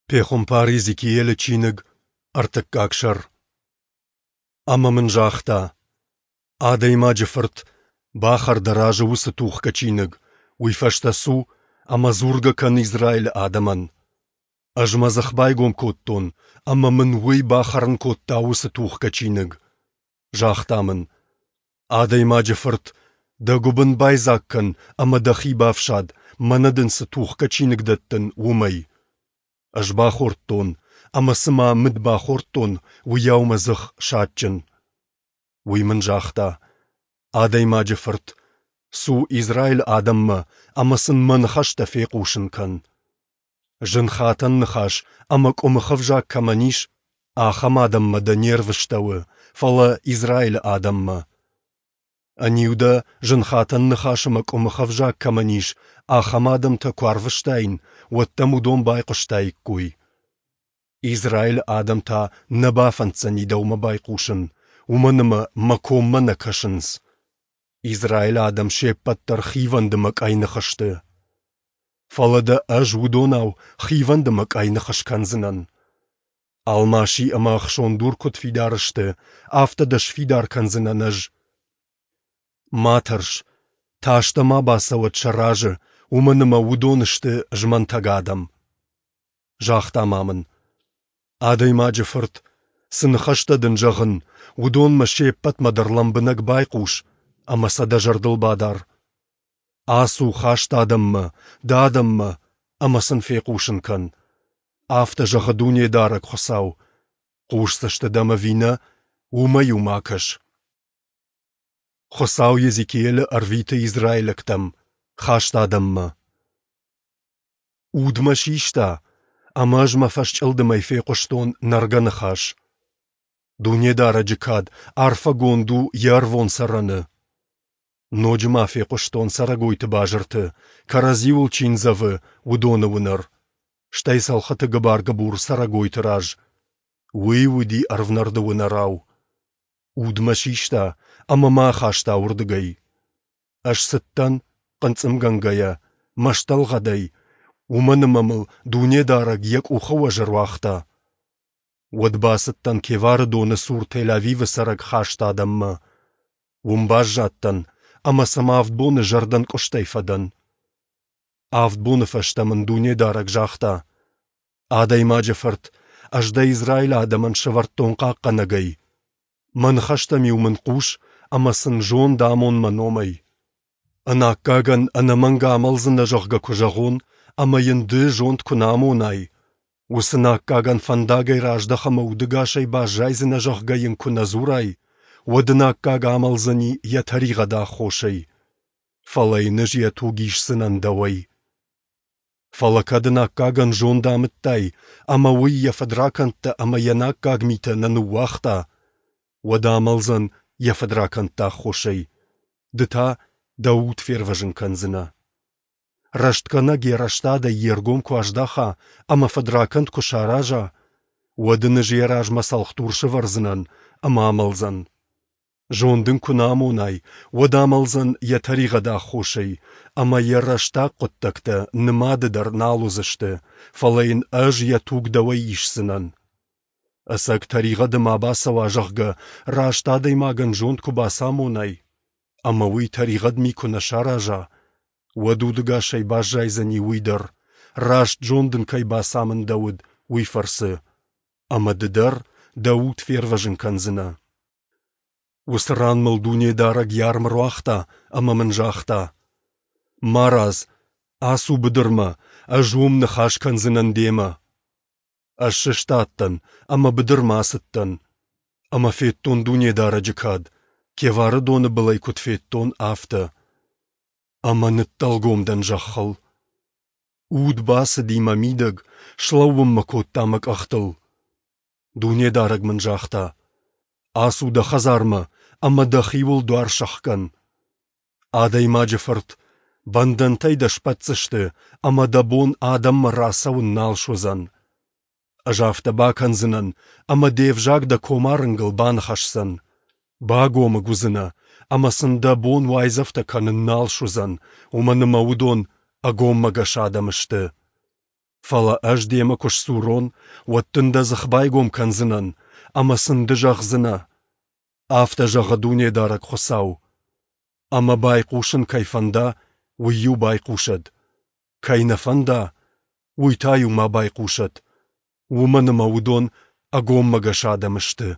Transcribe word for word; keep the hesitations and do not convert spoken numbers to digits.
Пехуымпар Йезекиелы чиныг, ӕртыккаг сӕр. Ӕмӕ мын загъта: Адӕймаджы фырт, бахӕр дӕ разы уыцы тухгӕ чиныг, уый фӕстӕ цу ӕмӕ дзургӕ кӕн Израилы адӕмӕн. Ӕз мӕ дзых байгом кодтон, ӕмӕ мын уый бахӕрын кодта уыцы тухгӕ чиныг. Загъта мын: Адӕймаджы фырт, дӕ гуыбын байдзаг кӕн ӕмӕ дӕхи бафсад, мӕнӕ дын цы тухгӕ чиныг дӕттын, уымӕй. Ӕз бахордтон, ӕмӕ цыма мыд бахордтон, уыйау мӕ дзых садджын. Уый мын загъта: Адӕймаджы фырт, цу Израилы адӕммӕ ӕмӕ сын мӕ ныхӕстӕ фехъусын кӕн. Зын хатӕн ныхас ӕмӕ къуымых ӕвзаг кӕмӕн ис, ахӕм адӕммӕ дӕ не рвыстӕуы, фӕлӕ Израилы адӕммӕ. Ӕниу дӕ зынхатӕн ныхас ӕмӕ къуымых ӕвзаг кӕмӕн ис, ахӕм адӕмтӕ куы арвыстаин, уӕд дӕм уыдон байхъуыстаиккой. Израилы адӕм та нӕ бафӕнддзӕни дӕумӕ байхъусын, уымӕн ӕмӕ мӕ коммӕ нӕ кӕсынц. Израилы адӕм се ппӕт дӕр хивӕнд ӕмӕ къӕйных сты. Фӕлӕ дӕ ӕз уыдонау хивӕнд ӕмӕ къӕйных скӕндзынӕн. Алмаси ӕмӕ ӕхсондур куыд фидар сты, афтӕ дӕ сфидар кӕндзынӕн ӕз. Ма тӕрс, тас дӕ ма бацӕуӕд сӕ разы, уымӕн ӕмӕ уыдон сты змӕнтӕг адӕм. Загъта ма мын: Адӕймаджы фырт, цы ныхӕстӕ дын зӕгъын, уыдонмӕ се ппӕтмӕ дӕр лӕмбынӕг байхъус ӕмӕ сӕ дӕ зӕрдыл бадар. Ацу хаст адӕммӕ, дӕ адӕммӕ, ӕмӕ сын фехъусын кӕн. Афтӕ зӕгъы Дунедарӕг Хуыцау: хъусдзысты дӕм ӕви нӕ, уымӕ-иу ма кӕс. Хуыцау Йезекиелы ӕрвиты израилӕгтӕм, хаст адӕммӕ. Уд мӕ систа, ӕмӕ ӕз мӕ фӕсчъылдымӕй фехъуыстон нӕргӕ ныхас. Дунедарӕджы кад арфӕгонд у йӕ ӕрвон цӕрӕны. Ноджы ма фехъуыстон цӕрӕгойты базырты, кӕрӕдзиуыл чи ндзӕвы, уыдоны уынӕр, стӕй цӕлхыты гыбар-гыбур цӕрӕгойты раз. Уый уыди ӕрвнӕрды уынӕрау. Уд мӕ систа ӕмӕ мӕ ахаста уырдыгӕй. Ӕз цыдтӕн, хъынцъымгӕнгӕйӕ, мӕстӕлгъӕдӕй, уымӕн ӕмӕ мыл Дунедарӕг йӕ къухы уӕз ӕруагъта. Уӕд бацыдтӕн Кевары доны цур Тель-Авивы цӕрӕг хаст адӕммӕ. Уым баззадтӕн ӕмӕ сӕм авд боны зӕрдӕнкъуыстӕй фӕдӕн. Авд боны фӕстӕ мын Дунедарӕг загъта: Адӕймаджы фырт, ӕз дӕ Израилы адӕмӕн сӕвӕрдтон хъахъхъӕнӕгӕй. Мӕ ныхӕстӕм-иу мын хъус ӕмӕ сын зонд амон мӕ номӕй. Ӕнаккагӕн ӕнӕмӕнг амӕлдзынӕ, зӕгъгӕ, куы зӕгъон, ӕмӕ йын ды зонд куы нӕ амонай, уыцы наккагӕн фӕндагӕй раздӕх ӕмӕ удӕгасӕй баззайдзынӕ, зӕгъгӕ йын куы нӕ дзурай, уӕд ӕнаккаг амӕлдзӕни йӕ тӕригъӕды аххосӕй. Фӕлӕ йын ӕз йӕ туг исдзынӕн дӕуӕй. Фӕлӕ кӕд ӕнаккагӕн зонд амыдтай, ӕмӕ уый йӕ фыдракӕндтӕ ӕмӕ йе наккаг митӕ нӕ ныууагъта, уӕд амӕлдзӕн йӕ фыдракӕндты аххосӕй, ды та дӕ уд фервӕзын кӕндзынӕ. Рӕстгӕнӕг йӕ рӕстадӕй йе ргом куы аздаха ӕмӕ фыдракӕнд куы сараза, уӕд ын ӕз йӕ размӕ цӕлхдур сӕвӕрдзынӕн ӕмӕ амӕлдзӕн. Зонд ын куы нӕ амонай, уӕд амӕлдзӕн йӕ тӕригъӕды аххосӕй, ӕмӕ йӕ рӕстаг хъуыддӕгтӕ нымады дӕр нал уыдзысты, фӕлӕ йын ӕз йӕ туг дӕуӕй исдзынӕн. Ӕцӕг тӕригъӕды ма бацӕуа, зӕгъгӕ, раст адӕймагӕн зонд куы бацамонай, ӕмӕ уый тӕригъӕд ми куы нӕ сараза, уӕд удӕгасӕй баззайдзӕни уый дӕр, раст зонд ын кӕй бацамындӕуыд, уый фӕрцы, ӕмӕ ды дӕр дӕ уд фервӕзын кӕндзынӕ. Уыцы ран мыл Дунедарӕг йӕ арм ӕруагъта ӕмӕ мын загъта: Марадз, ацу быдырмӕ, ӕз уым ныхас кӕндзынӕн демӕ. Ӕз сыстадтӕн ӕмӕ быдырмӕ ацыдтӕн. Ӕмӕ федтон Дунедарӕджы кад, Кевары доны былӕй куыд федтон, афтӕ. Ӕмӕ ныддӕлгом дӕн зӕххыл. Уд бацыди мӕ мидӕг, слӕууын мӕ кодта мӕ къӕхтыл. Дунедарӕг мын загъта: Ацу дӕ хӕдзармӕ ӕмӕ дӕхиуыл дуар сӕхгӕн. Адӕймаджы фырт, бӕндӕнтӕй дӕ сбӕтдзысты, ӕмӕ дӕ бон адӕммӕ рацӕуын нал суыдзӕн. Ӕз афтӕ бакӕндзынӕн, ӕмӕ де взаг дӕ комарынгыл баныхӕсдзӕн. Багомыг уыдзынӕ, ӕмӕ сын дӕ бон уайдзӕфтӕ кӕнын нал суыдзӕн, уымӕн ӕмӕ уыдон ӕгоммӕгӕс адӕм сты. Фӕлӕ ӕз демӕ куы сдзурон, уӕд дын дӕ дзых байгом кӕндзынӕн, ӕмӕ сын ды зӕгъдзынӕ: Афтӕ зӕгъы Дунедарӕг Хуыцау. Ӕмӕ байхъусын кӕй фӕнда, уый-иу байхъусӕд, кӕй нӕ фӕнда, уый та-иу ма байхъусӕд, уымӕн ӕмӕ уыдон ӕгоммӕгӕс адӕм сты.